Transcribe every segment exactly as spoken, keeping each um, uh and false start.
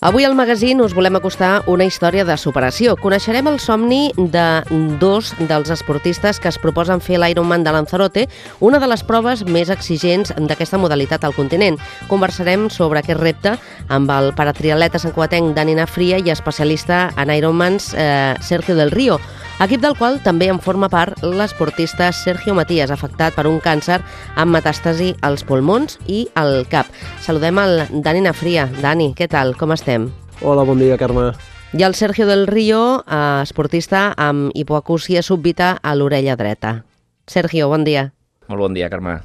Avui al magazín us volem acostar una història de superació. Coneixerem el somni de dos dels esportistes que es proposen fer l'Ironman de Lanzarote, una de les proves més exigents d'aquesta modalitat al continent. Conversarem sobre aquest repte amb el paratriatleta santcugatenc Dani Nafria i especialista en Ironmans eh, Sergio del Río, equip del qual també en forma part l'esportista Sergio Matías, afectat per un càncer amb metàstasi als pulmons i al cap. Saludem el Dani Nafria. Dani, què tal? Com estem? Hola, bon dia, Carme. I el Sergio del Río, eh, esportista amb hipoacúsia súbita a l'orella dreta. Sergio, bon dia. Molt bon dia, Carme.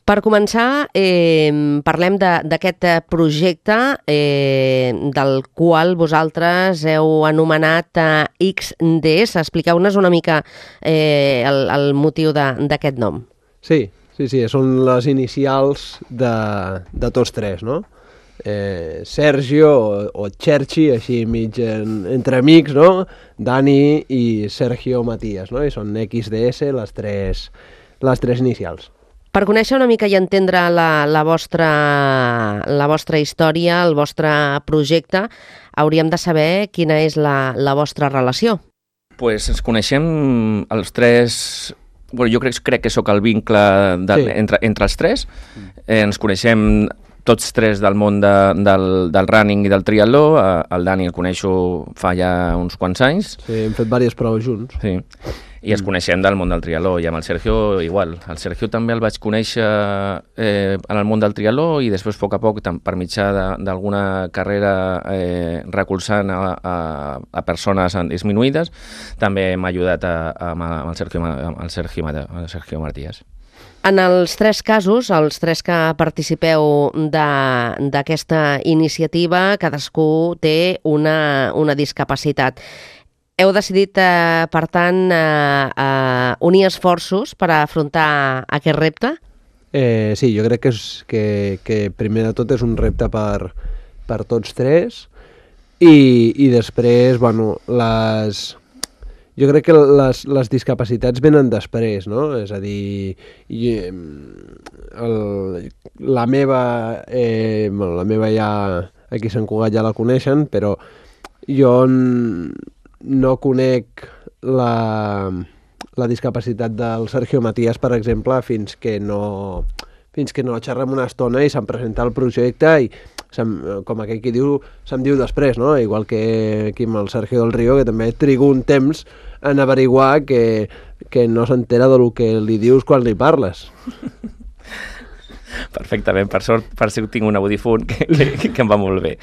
Per començar, eh, parlem d'aquest projecte eh, del qual vosaltres heu anomenat eh, X D S. Expliqueu-nos una mica eh, el, el motiu d'aquest nom. Sí, sí, sí, són les inicials de, de tots tres, no? Eh, Sergio o, o Cherchi, així mig en, entre amics, no? Dani i Sergio Matías, no? I són X D S les tres, les tres inicials. Per conèixer una mica i entendre la, la, vostra, la vostra història, el vostre projecte, hauríem de saber quina és la, la vostra relació. Pues ens coneixem els tres. Bueno, jo crec, crec que sóc el vincle de, sí. entre, entre els tres. Eh, ens coneixem tots tres del món de, del, del running i del triatló. El Dani el coneixo fa ja uns quants anys. Sí, hem fet diverses proves junts. Sí. I ens coneixem del món del triatló, i amb el Sergio igual. El Sergio també el vaig conèixer eh, en el món del triatló i després, a poc a poc, per mitjà d'alguna carrera eh, recolzant a, a, a persones disminuïdes, també m'ha ajudat a, a, amb el Sergio, amb el Sergio, el Sergio Matías. En els tres casos, els tres que participeu d'aquesta iniciativa, cadascú té una, una discapacitat. Heu decidit, eh, per tant, eh, eh, unir esforços per afrontar aquest repte? Eh, sí, jo crec que, és, que, que primer de tot és un repte per, per tots tres i, i després, bueno, les... Jo crec que les, les discapacitats venen després, no? És a dir, i, el, la meva, eh, bueno, la meva ja, aquí a Sant Cugat ja la coneixen, però jo no conec la, la discapacitat del Sergio Matías, per exemple, fins que no, fins que no xerrem una estona i se'm presenta el projecte i, se'm, com aquell qui diu, se'm diu després, no? Igual que aquí amb el Sergio del Río, que també trigo un temps en averiguar que, que no s'entera del que li dius quan li parles. Perfectament, per sort, per si tinc un audífon que, que, que em va molt bé.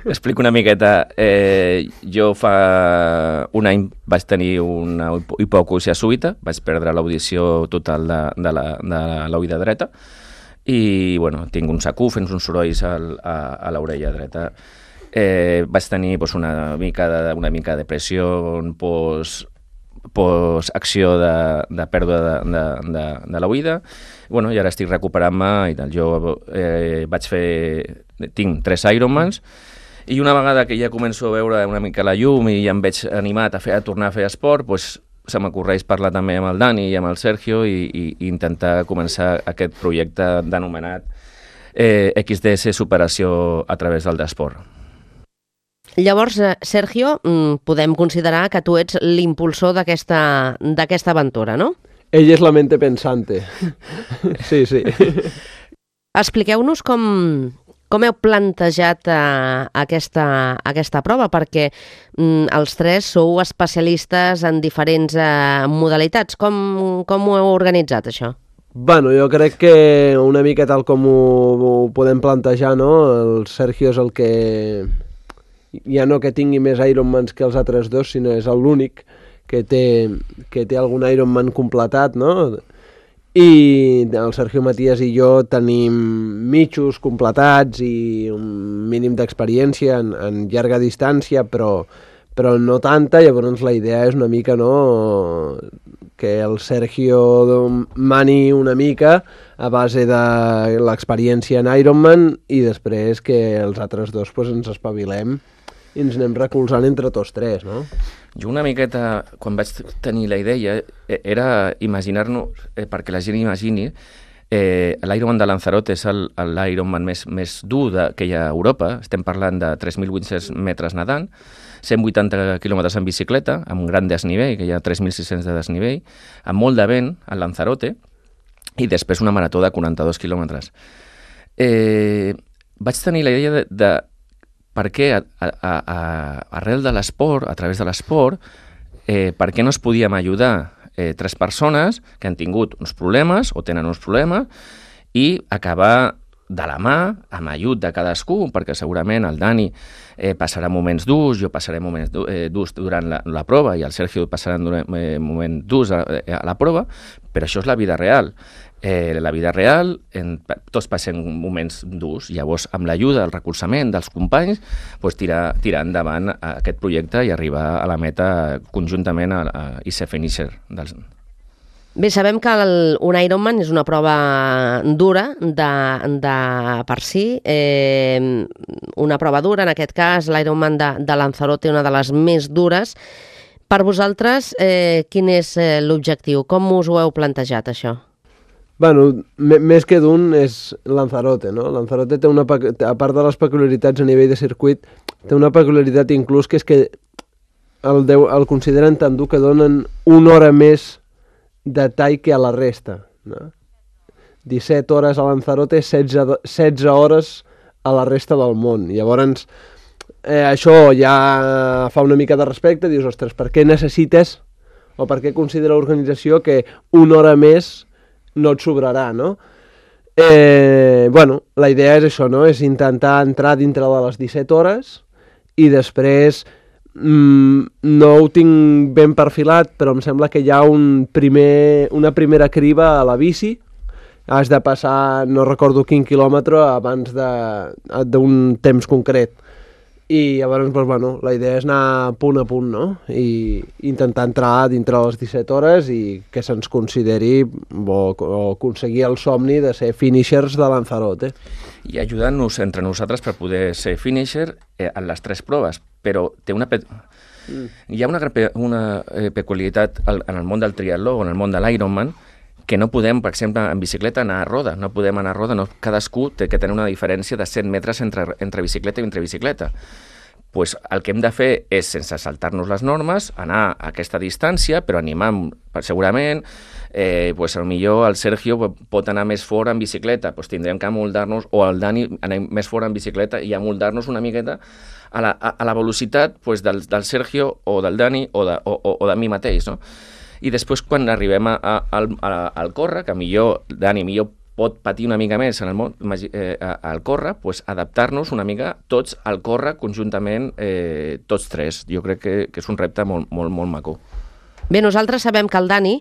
Explico una miqueta. Eh, jo fa un any vaig tenir una hipoacúsia súbita, vaig perdre l'audició total de, de l'oïda dreta i bueno, tinc uns acúfens, uns sorolls al, a, a l'orella dreta. Eh, vaig tenir pues, una, mica de, una mica de depressió, post, post acció de, de pèrdua de, de, de, de l'oïda. Bueno, i ara estic recuperant-me i tal. Jo eh, vaig fer... Tinc tres Ironmans i una vegada que ja començo a veure una mica la llum i ja em veig animat a, fer, a tornar a fer esport, pues, se m'ocorreix parlar també amb el Dani i amb el Sergio i, i, i intentar començar aquest projecte denomenat eh, X D S Superació a través del esport. Llavors, Sergio, podem considerar que tu ets l'impulsor d'aquesta aventura, no? Ell és la mente pensante. Sí, sí. Expliqueu-nos com, com heu plantejat eh, aquesta, aquesta prova, perquè mm, els tres sou especialistes en diferents eh, modalitats. Com, com ho heu organitzat, això? Bueno, jo crec que una mica tal com ho, ho podem plantejar, no? El Sergio és el que... ja no que tingui més Ironmans que els altres dos, sinó és l'únic que té, que té algun Ironman completat, no? I el Sergio Matías i jo tenim mitjos completats i un mínim d'experiència en, en llarga distància, però, però no tanta, llavors la idea és una mica, no?, que el Sergio mani una mica a base de l'experiència en Ironman i després que els altres dos pues, ens espavilem i ens anem recolzant entre tots tres, no? Jo una miqueta, quan vaig tenir la idea, era imaginar-nos, eh, perquè la gent imagini, eh, l'Ironman de Lanzarote és l'Ironman més, més dur de, que hi ha a Europa, estem parlant de tres mil vuit-cents metres nedant, cent vuitanta quilòmetres en bicicleta, amb un gran desnivell, que hi ha tres mil sis-cents de desnivell, amb molt de vent a Lanzarote, i després una marató de quaranta-dos quilòmetres. Eh, vaig tenir la idea de, de per què a, a, a, arrel de l'esport, a través de l'esport, eh, per què no es podíem ajudar eh, tres persones que han tingut uns problemes o tenen uns problemes i acabar de la mà, amb ajut de cadascú, perquè segurament el Dani eh, passarà moments durs, jo passaré moments du eh, durs durant la, la prova i el Sergio passarà eh, moments durs a, a la prova, però això és la vida real. Eh, la vida real, en, tots passem moments durs, llavors amb l'ajuda, el recolzament dels companys, pues, tirar, tirar endavant aquest projecte i arribar a la meta conjuntament a, a, i ser finisher. Dels... Bé, sabem que el, un Ironman és una prova dura de, de per si, eh, una prova dura, en aquest cas l'Ironman de, de Lanzarote, una de les més dures. Per vosaltres, eh, quin és eh, l'objectiu? Com us ho heu plantejat, això? Bueno, més que d'un és Lanzarote, no? Lanzarote té una, a part de les peculiaritats a nivell de circuit, té una peculiaritat inclús que és que el, deu, el consideren tan dur que donen una hora més de tall que a la resta, no? disset hores a Lanzarote, setze, setze hores a la resta del món. Llavors, eh, això ja fa una mica de respecte, dius, ostres, per què necessites o per què considera l'organització que una hora més no et sobrarà, no? Eh, bueno, la idea és això, no? És intentar entrar dintre de les disset hores i després mmm, no ho tinc ben perfilat, però em sembla que hi ha un primer, una primera criba a la bici. Has de passar, no recordo quin quilòmetre, abans d'un temps concret. I llavors, doncs, bueno, la idea és anar punt a punt, no? I intentar entrar dintre les disset hores i que se'ns consideri o, o aconseguir el somni de ser finishers de Lanzarote. I ajudant-nos entre nosaltres per poder ser finisher eh, en les tres proves, però té una... Pe... Mm. Hi ha una, una eh, peculiaritat en el món del triatló o en el món de l'Ironman que no podem, per exemple, en bicicleta anar a roda, no podem anar a roda, no, cadascú té que tenir una diferència de cent metres entre, entre bicicleta i entre bicicleta. Pues el que hem de fer és, sense saltar-nos les normes, anar a aquesta distància, però animant segurament, eh, pues, potser el Sergio pot anar més fort en bicicleta, pues tindrem que amoldar-nos, o el Dani anar més fort en bicicleta i amoldar-nos una miqueta a la, a, a la velocitat pues, del, del Sergio o del Dani o de, o, o, o de mi mateix, no? I després, quan arribem a, a, al, a, al córrer, que millor, Dani, millor pot patir una mica més en el món, eh, al córrer, pues, adaptar-nos una mica tots al córrer conjuntament, eh, tots tres. Jo crec que, que és un repte molt, molt, molt maco. Bé, nosaltres sabem que el Dani,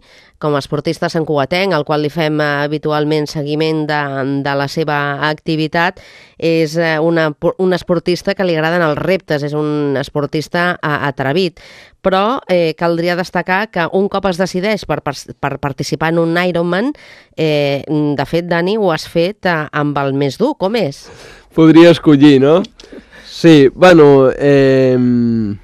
com a esportista santcugatenc, al qual li fem habitualment seguiment de, de la seva activitat, és una, un esportista que li agraden els reptes, és un esportista atrevit. Però eh, caldria destacar que un cop es decideix per, per, per participar en un Ironman, eh, de fet, Dani, ho has fet eh, amb el més dur. Com és? Podria escollir, no? Sí, bueno... Eh...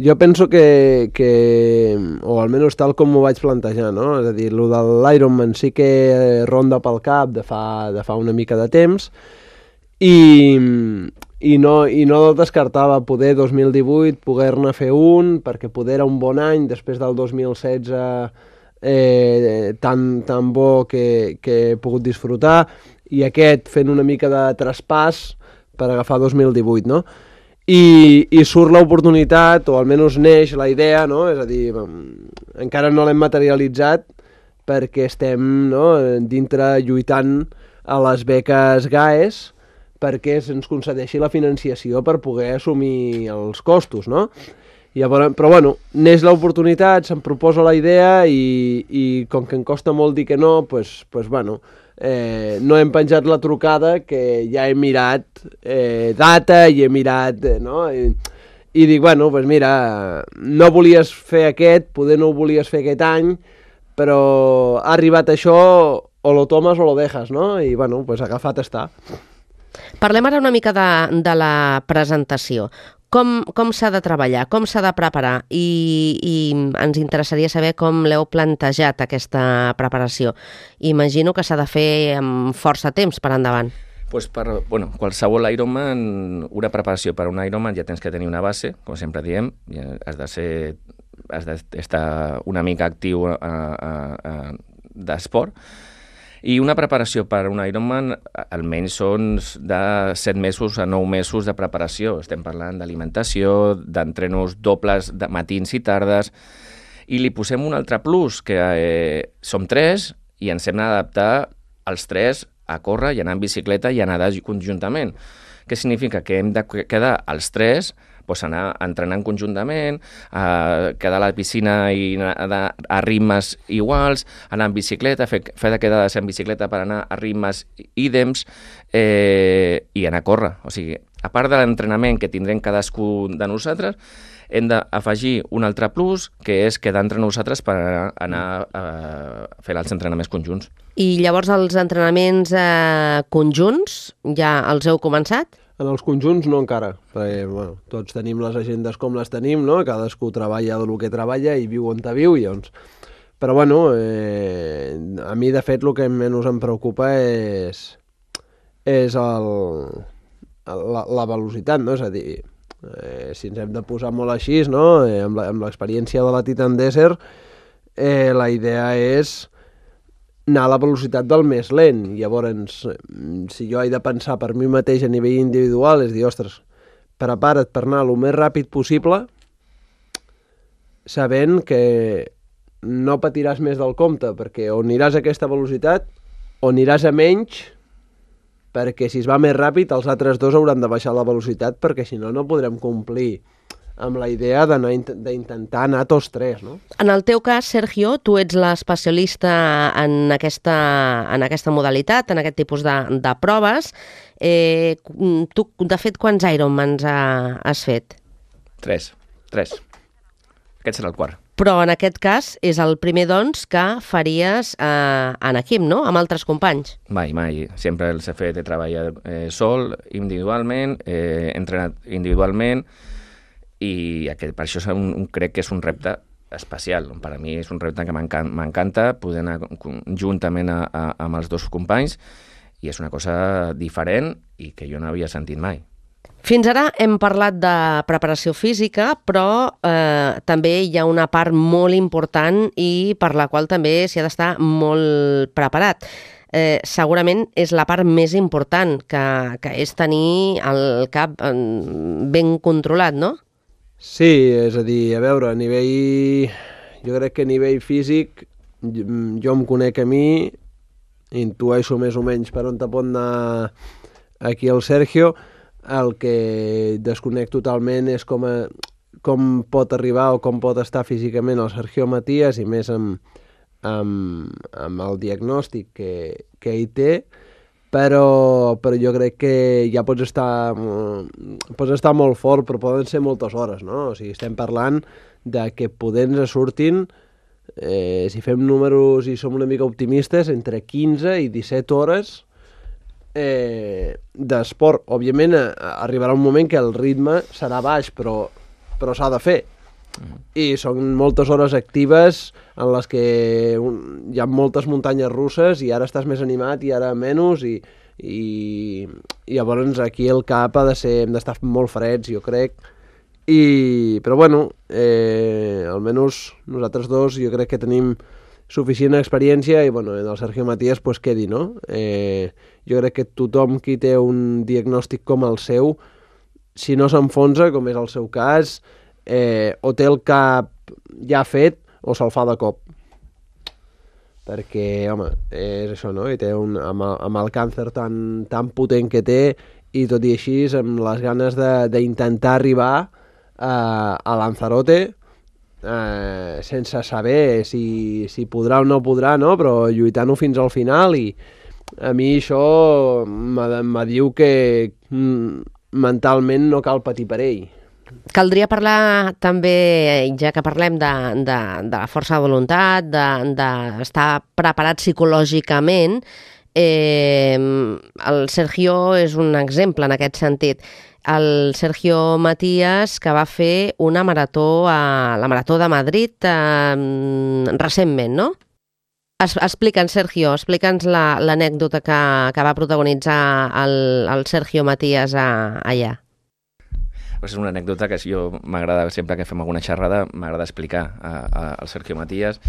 Jo penso que, que, o almenys tal com m'ho vaig plantejar, no? És a dir, el de l'Ironman sí que ronda pel cap de fa, de fa una mica de temps i, i, no, i no descartava poder dos mil divuit poder-ne fer un, perquè poder era un bon any, després del dos mil setze eh, tan, tan bo que, que he pogut disfrutar, i aquest fent una mica de traspàs per agafar dos mil divuit, no? I, i surt l'oportunitat, o almenys neix la idea, no? És a dir, encara no l'hem materialitzat perquè estem, no, dintre lluitant a les beques G A E S perquè se'ns concedeixi la financiació per poder assumir els costos, no? I llavors, però bueno, neix l'oportunitat, se'm proposa la idea i, i com que em costa molt dir que no, pues, pues bueno, Eh, no hem penjat la trucada, que ja he mirat eh, data i he mirat, eh, no? I, i dic, bueno, doncs mira, no volies fer aquest, poder no ho volies fer aquest any, però ha arribat això, o lo tomes o lo dejas, no? I, bueno, pues agafat està. Parlem ara una mica de, de la presentació. Com, com s'ha de treballar, com s'ha de preparar i, i ens interessaria saber com l'heu plantejat aquesta preparació. Imagino que s'ha de fer amb força temps per endavant. Pues per, bueno, qualsevol Ironman, una preparació per a un Ironman ja tens que tenir una base, com sempre diem, ja has de ser, has d'estar una mica actiu a, a, a, d'esport. I una preparació per a un Ironman almenys són de set mesos a nou mesos de preparació. Estem parlant d'alimentació, d'entrenos dobles de matins i tardes, i li posem un altre plus, que eh, som tres i ens hem d'adaptar els tres a córrer i anar en bicicleta i a nedar conjuntament. Què significa? Que hem de quedar els tres, doncs anar entrenant conjuntament, a quedar a la piscina i anar a ritmes iguals, anar en bicicleta, fer, fer de quedades en bicicleta per anar a ritmes ídems eh, i anar a córrer. O sigui, a part de l'entrenament que tindrem cadascun de nosaltres, hem d'afegir un altre plus, que és quedar entre nosaltres per anar a fer els entrenaments conjunts. I llavors els entrenaments eh, conjunts ja els heu començat? En els conjunts no encara, perquè bueno, tots tenim les agendes com les tenim, no? Cadascú treballa del que treballa i viu on te viu, i doncs... Però bueno, eh, a mi de fet el que menys em preocupa és, és el, la, la velocitat, no? És a dir, eh, si ens hem de posar molt així, no? Eh, amb l'experiència de la Titan Desert, eh, la idea és anar a la velocitat del més lent. Llavors, si jo he de pensar per mi mateix a nivell individual, és dir, ostres, prepara't per anar el més ràpid possible, sabent que no patiràs més del compte, perquè o aniràs a aquesta velocitat o aniràs a menys, perquè si es va més ràpid, els altres dos hauran de baixar la velocitat, perquè si no, no podrem complir amb la idea d'intentar anar tots tres, no? En el teu cas, Sergio, tu ets l'especialista en aquesta, en aquesta modalitat, en aquest tipus de, de proves. Eh, tu, de fet, quants Ironmans ha, has fet? Tres, tres. Aquest serà el quart. Però en aquest cas és el primer, doncs, que faries eh, en equip, no? Amb altres companys. Mai, mai. Sempre els he fet, he treballat eh, sol, individualment, eh, he entrenat individualment, i aquest, per això un, un, crec que és un repte especial. Per a mi és un repte que m'encanta poder anar juntament a, a, amb els dos companys, i és una cosa diferent i que jo no havia sentit mai. Fins ara hem parlat de preparació física, però eh, també hi ha una part molt important i per la qual també s'hi ha d'estar molt preparat. Eh, segurament és la part més important, que, que és tenir el cap ben controlat, no? Sí, és a dir, a veure, a nivell... Jo crec que a nivell físic, jo em conec a mi, intueixo més o menys per on te pot anar aquí el Sergio, el que desconec totalment és com, a, com pot arribar o com pot estar físicament el Sergio Matías, i més amb, amb, amb el diagnòstic que, que ell té, Però, però jo crec que ja pots estar, pots estar molt fort, però poden ser moltes hores, no? O sigui, estem parlant de que poder ens surtin, eh, si fem números i som una mica optimistes, entre quinze i disset hores eh, d'esport. Òbviament eh, arribarà un moment que el ritme serà baix, però, però s'ha de fer. I són moltes hores actives en les que hi ha moltes muntanyes russes i ara estàs més animat i ara menys, i, i, i llavors aquí el cap ha de ser, hem d'estar molt freds, jo crec, i, però bueno, eh, almenys nosaltres dos jo crec que tenim suficient experiència, i bueno, en el Sergio Matías pues quedi, no? Eh, jo crec que tothom qui té un diagnòstic com el seu, si no s'enfonsa, com és el seu cas, Eh, o té el cap ja fet o se'l fa de cop, perquè, home, és això, no? I té un, amb, el, amb el càncer tan, tan potent que té, i tot i així amb les ganes d'intentar arribar a, a Lanzarote, eh, sense saber si, si podrà o no podrà, no? Però lluitant-ho fins al final, i a mi això me diu que mm, mentalment no cal patir per ell. Caldria parlar també, ja que parlem de, de, de la força de voluntat, d'estar de, preparat psicològicament. Eh, el Sergio és un exemple en aquest sentit. El Sergio Matías, que va fer una marató, a la Marató de Madrid eh, recentment, no? Es, explica'ns, Sergio, explica'ns l'anècdota la, que, que va protagonitzar el, el Sergio Matías a, allà. Pues és una anècdota que jo m'agrada, sempre que fem alguna xerrada, m'agrada explicar a, a, al Sergio Matías.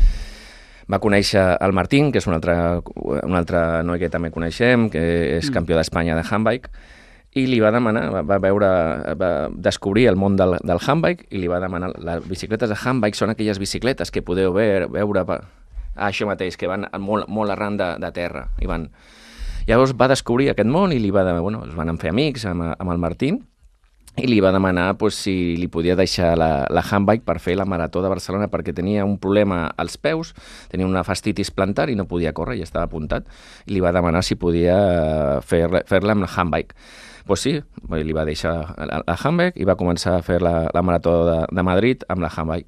Va conèixer el Martín, que és un altre, un altre noi que també coneixem, que és campió d'Espanya de handbike, i li va demanar, va, va veure, va descobrir el món del, del handbike i li va demanar, les bicicletes de handbike són aquelles bicicletes que podeu veure, veure ah, això mateix, que van molt, molt arran de, de terra. I van... Llavors va descobrir aquest món i li va demanar, bueno, es van fer amics amb, amb el Martín, i li va demanar pues, si li podia deixar la, la handbike per fer la Marató de Barcelona, perquè tenia un problema als peus, tenia una fascitis plantar i no podia córrer i estava apuntat, i li va demanar si podia fer-la fer amb la handbike. Pues sí, li va deixar la, la handbike i va començar a fer la, la Marató de, de Madrid amb la handbike.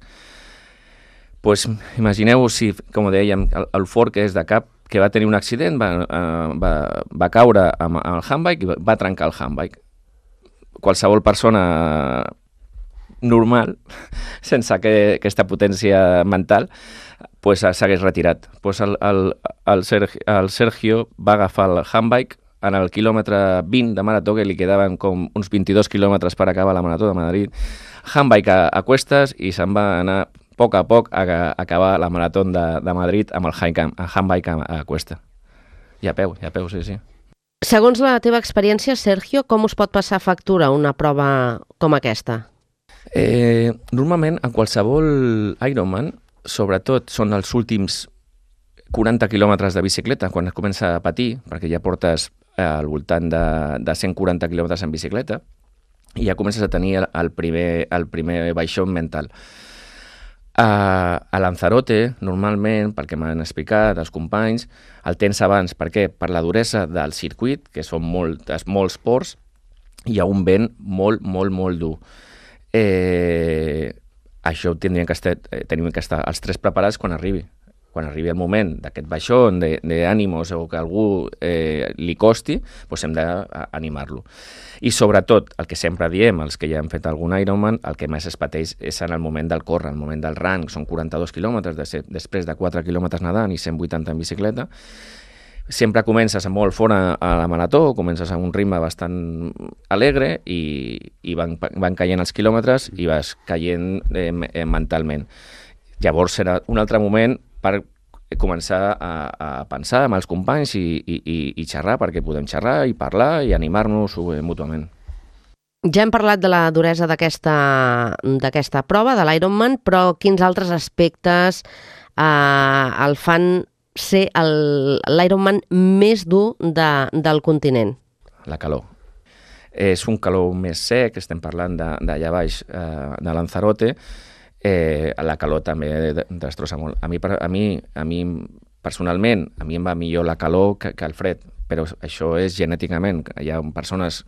Pues imagineu si, com dèiem, el, el fort que és de cap, que va tenir un accident, va, uh, va, va caure amb, amb el handbike i va, va trencar el handbike. Qualsevol persona normal, sense que, aquesta potència mental, pues, s'hagués retirat. Pues el, el, el, Sergio, el Sergio va agafar el handbike en el quilòmetre vint de marató, que li quedaven com uns vint-i-dos quilòmetres per acabar la Marató de Madrid, handbike a, a cuestes, i se'n va anar a poc a poc a, a acabar la Marató de, de Madrid amb el handbike a, a cuesta. I a peu, i a peu, sí, sí. Segons la teva experiència, Sergio, com us pot passar factura una prova com aquesta? Eh, normalment, en qualsevol Ironman, sobretot són els últims quaranta quilòmetres de bicicleta, quan es comença a patir, perquè ja portes eh, al voltant de, de cent quaranta quilòmetres en bicicleta, i ja comences a tenir el, el, primer, el primer baixón mental. A, a Lanzarote, normalment, pel que m'han explicat els companys, el tens abans. Per què? Per la duresa del circuit, que són moltes, molts ports, i hi ha un vent molt, molt, molt dur. Eh, això tindrien que estar, tenim que estar els tres preparats quan arribi. Quan arribi el moment d'aquest baixón, d'ànimos, o que algú eh, li costi, doncs hem d'animar-lo. I sobretot, el que sempre diem, els que ja han fet algun Ironman, el que més es pateix és en el moment del córrer, el moment del run, són quaranta-dos quilòmetres, de ser, després de quatre quilòmetres nedant i cent vuitanta en bicicleta. Sempre comences molt fora a la marató, comences a un ritme bastant alegre i, i van, van caient els quilòmetres i vas caient eh, mentalment. Llavors serà un altre moment per començar a, a pensar amb els companys i, i, i xerrar, perquè podem xerrar i parlar i animar-nos mútuament. Ja hem parlat de la duresa d'aquesta d'aquesta prova, de l'Ironman, però quins altres aspectes eh, el fan ser l'Ironman més dur de, del continent? La calor. És un calor més sec, estem parlant d'allà baix eh, de Lanzarote. Eh, la calor també destrossa molt. A mi, a, mi, a mi, personalment, a mi em va millor la calor que, que el fred, però això és genèticament. Hi ha persones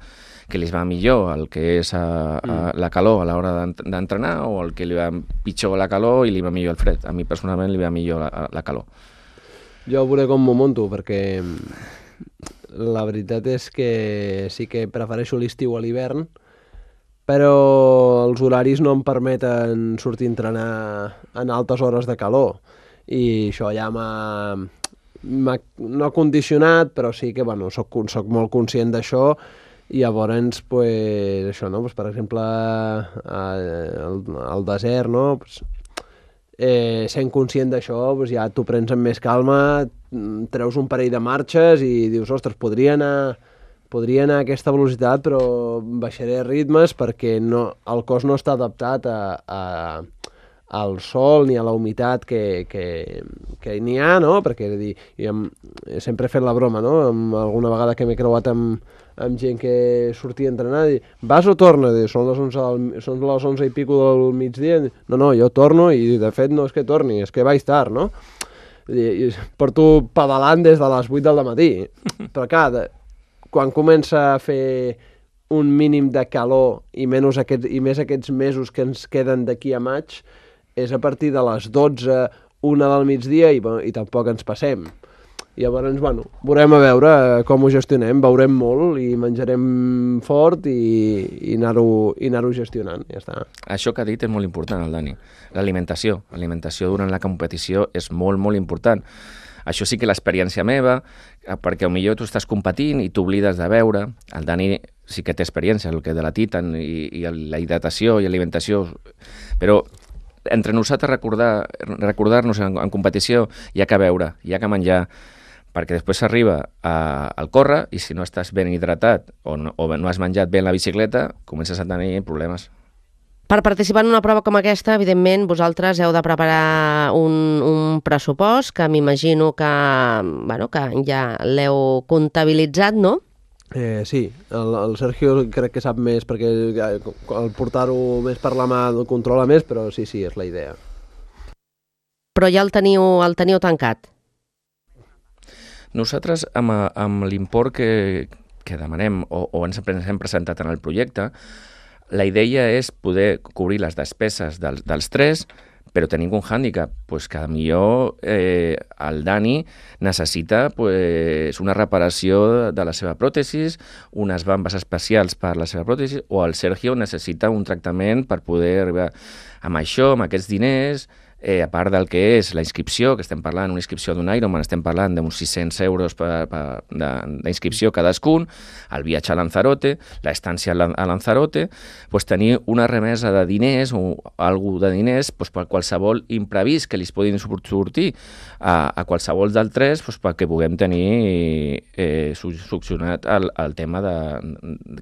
que li va millor el que és a, a la calor a l'hora d'entrenar, o el que li va pitjor la calor i li va millor el fred. A mi, personalment, li va millor la, la calor. Jo veuré com m'ho monto, perquè la veritat és que sí que prefereixo l'estiu a l'hivern, però els horaris no em permeten sortir a entrenar en altes hores de calor, i això ja m'ha no condicionat, però sí que bueno, soc, soc molt conscient d'això, i llavors, pues, això, no? Pues, per exemple, al, al desert, no? Pues, eh, sent conscient d'això, pues, ja t'ho prens amb més calma, treus un parell de marxes i dius, ostres, podria anar... podria anar a aquesta velocitat, però baixaré ritmes perquè no, el cos no està adaptat a, a, al sol ni a la humitat que, que, que n'hi ha, no? Perquè dir, jo hem, he sempre fet la broma, no? Amb alguna vegada que m'he creuat amb, amb gent que sortia a entrenar, dir, vas o torna? Dir, són les onze, són les onze i pico del migdia. No, no, jo torno, i de fet no és que torni, és que vaig tard, no? Dir, porto pedalant des de les vuit del matí, però clar, de, quan comença a fer un mínim de calor i, menys aquests, i més aquests mesos que ens queden d'aquí a maig, és a partir de les dotze, una del migdia i, i tampoc ens passem. Llavors, bueno, veurem a veure com ho gestionem, veurem molt i menjarem fort i, i anar-ho i anar-ho gestionant, ja està. Això que ha dit és molt important, el Dani. L'alimentació. L'alimentació durant la competició és molt, molt important. Això sí que l'experiència meva, perquè potser tu estàs competint i t'oblides de beure. El Dani sí que té experiència, el que de la Titan i, i la hidratació i alimentació, però entre nosaltres recordar, recordar-nos en, en competició hi ha que beure, hi ha que menjar, perquè després s'arriba al córrer i si no estàs ben hidratat o no, o no has menjat bé en la bicicleta, comences a tenir problemes. Per participar en una prova com aquesta, evidentment, vosaltres heu de preparar un, un pressupost que m'imagino que, bueno, que ja l'heu comptabilitzat, no? Eh, sí, el, el Sergio crec que sap més perquè el portar-ho més per la mà el controla més, però sí, sí, és la idea. Però ja el teniu, el teniu tancat? Nosaltres, amb, amb l'import que, que demanem o, o ens hem presentat en el projecte, la idea és poder cobrir les despeses dels, dels tres, però tenim un hàndicap, pues que millor eh, el Dani necessita pues, una reparació de la seva pròtesis, unes bambes especials per la seva pròtesis, o el Sergio necessita un tractament per poder arribar amb això, amb aquests diners. Eh, a part del que és la inscripció, que estem parlant, una inscripció d'un Ironman, estem parlant d'uns sis-cents euros per, per, d'inscripció cadascun, el viatge a Lanzarote, l'estància a Lanzarote, pues, tenir una remesa de diners o algú de diners pues, per qualsevol imprevist que li puguin sortir a, a qualsevol dels tres pues, perquè puguem tenir eh, solucionat el, el tema de,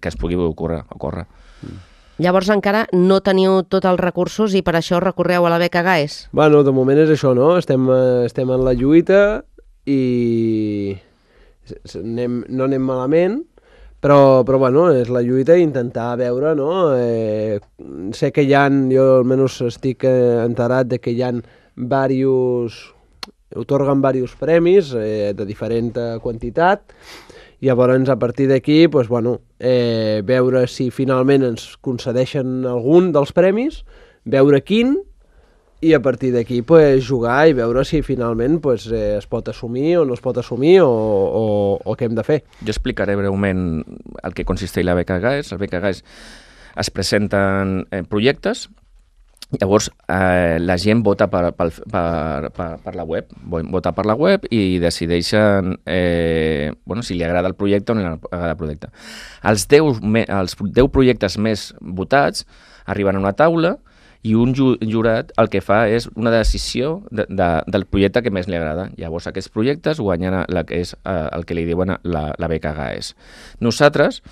que es pugui ocórrer. ocórrer. Mm. Llavors encara no teniu tots els recursos i per això recorreu a la beca GAES? Bueno, de moment és això, no? Estem, estem en la lluita i anem, no anem malament, però, però bueno, és la lluita i intentar veure, no? Eh, sé que hi ha, jo almenys estic enterat de que hi ha diversos, otorguen diversos premis eh, de diferent quantitat. Llavors, a partir d'aquí, doncs, bueno, eh, veure si finalment ens concedeixen algun dels premis, veure quin, i a partir d'aquí pues, jugar i veure si finalment pues, eh, es pot assumir o no es pot assumir o, o, o què hem de fer. Jo explicaré breument el que consisteix la beca GAES. La beca GAES es presenten eh, projectes. Llavors, eh, la gent vota per, per, per, per, per la web, vota per la web i decideixen eh, bueno, si li agrada el projecte o no li agrada el projecte. Els deu, els deu projectes més votats arriben a una taula i un jurat el que fa és una decisió de, de, del projecte que més li agrada. Llavors, aquests projectes guanyen la que és, eh, el que li diuen la, la beca GAES. Nosaltres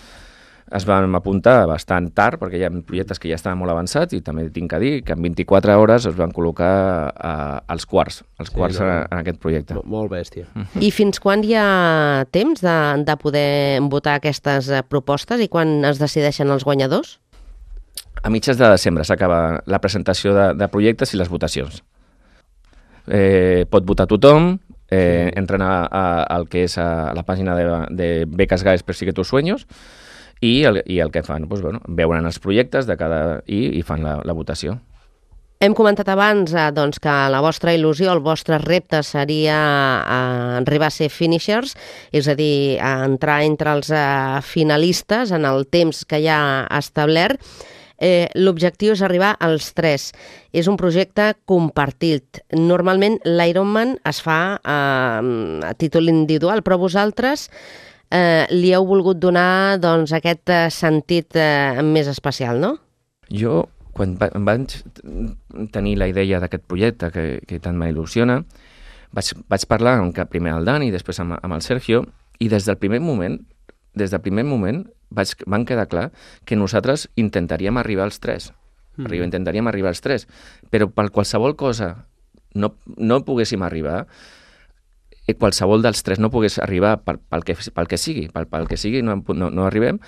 es vam apuntar bastant tard, perquè hi ha projectes que ja estaven molt avançats i també tinc que dir que en vint-i-quatre hores es van col·locar eh, els quarts, els sí, quarts no, en, en aquest projecte. Molt bèstia. Uh-huh. I fins quan hi ha temps de, de poder votar aquestes propostes i quan es decideixen els guanyadors? A mitjans de desembre s'acaba la presentació de, de projectes i les votacions. Eh, pot votar tothom, eh, sí. Entren a, a, al que és a la pàgina de, de Becas GAES Persigue tus sueños, I el, i el que fan, doncs, bueno, veuen els projectes de cada i, i fan la, la votació. Hem comentat abans eh, doncs, que la vostra il·lusió, el vostre repte seria eh, arribar a ser finishers, és a dir, a entrar entre els eh, finalistes en el temps que ja ha establert. Eh, l'objectiu és arribar als tres. És un projecte compartit. Normalment l'Ironman es fa eh, a títol individual, però vosaltres Eh, li heu volgut donar doncs, aquest eh, sentit eh, més especial, no? Jo, quan va, vaig tenir la idea d'aquest projecte que, que tant m'il·lusiona, vaig, vaig parlar amb, primer amb el Dani i després amb, amb el Sergio, i des del primer moment, des del primer moment vaig, van quedar clar que nosaltres intentaríem arribar als tres. Mm. Arriba, intentaríem arribar als tres, però per qualsevol cosa no, no poguéssim arribar, qualsevol dels tres no pogués arribar pel, pel, que, pel que sigui, pel, pel que sigui no, no, no arribem,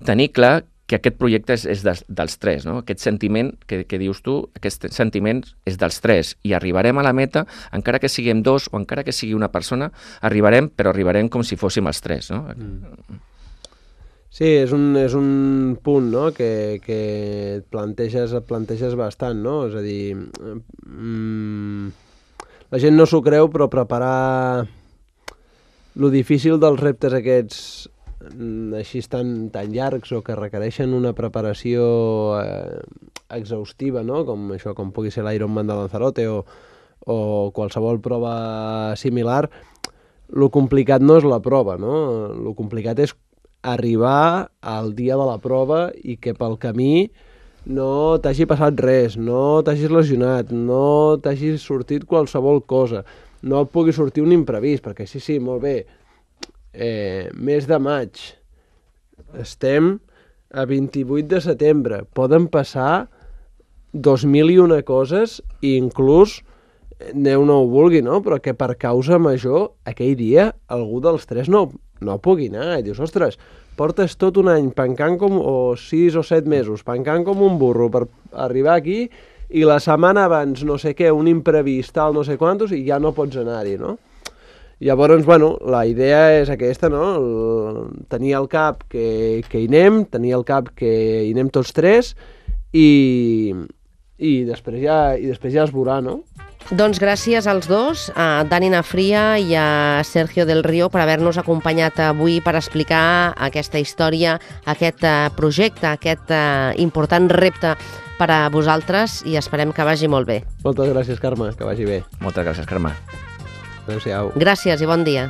tenir clar que aquest projecte és, és dels, dels tres, no? Aquest sentiment que, que dius tu, aquest sentiment és dels tres, i arribarem a la meta, encara que siguem dos o encara que sigui una persona, arribarem, però arribarem com si fóssim els tres, no? Mm. Sí, és un, és un punt, no?, que, que et planteges, et planteges bastant, no? És a dir, mmm, la gent no s'ho creu, però preparar lo difícil dels reptes aquests així tan, tan llargs o que requereixen una preparació eh, exhaustiva, no?, com això, com pugui ser l'Ironman de Lanzarote o, o qualsevol prova similar, lo complicat no és la prova, no? Lo complicat és arribar al dia de la prova i que pel camí no t'hagi passat res, no t'hagis lesionat, no t'hagi sortit qualsevol cosa, no et pugui sortir un imprevist, perquè sí, sí, molt bé, eh, mes de maig, estem a vint-i-vuit de setembre, poden passar dos mil i una coses i inclús Déu no ho vulgui, no? Però que per causa major aquell dia algú dels tres no, no pugui anar. I dius, ostres, portes tot un any pencant com, o sis o set mesos, pencant com un burro per arribar aquí i la setmana abans no sé què, un imprevist, tal, no sé quantos, i ja no pots anar-hi, no? Llavors, bueno, la idea és aquesta, no? El, tenir al cap que, que hi anem, tenir al cap que hi anem tots tres i, i, després, ja, i després ja es veurà, no? Doncs gràcies als dos, a Dani Nafria i a Sergio del Río, per haver-nos acompanyat avui per explicar aquesta història, aquest projecte, aquest important repte per a vosaltres, i esperem que vagi molt bé. Moltes gràcies, Carme, que vagi bé. Moltes gràcies, Carme. Adéu-siau. Gràcies i bon dia.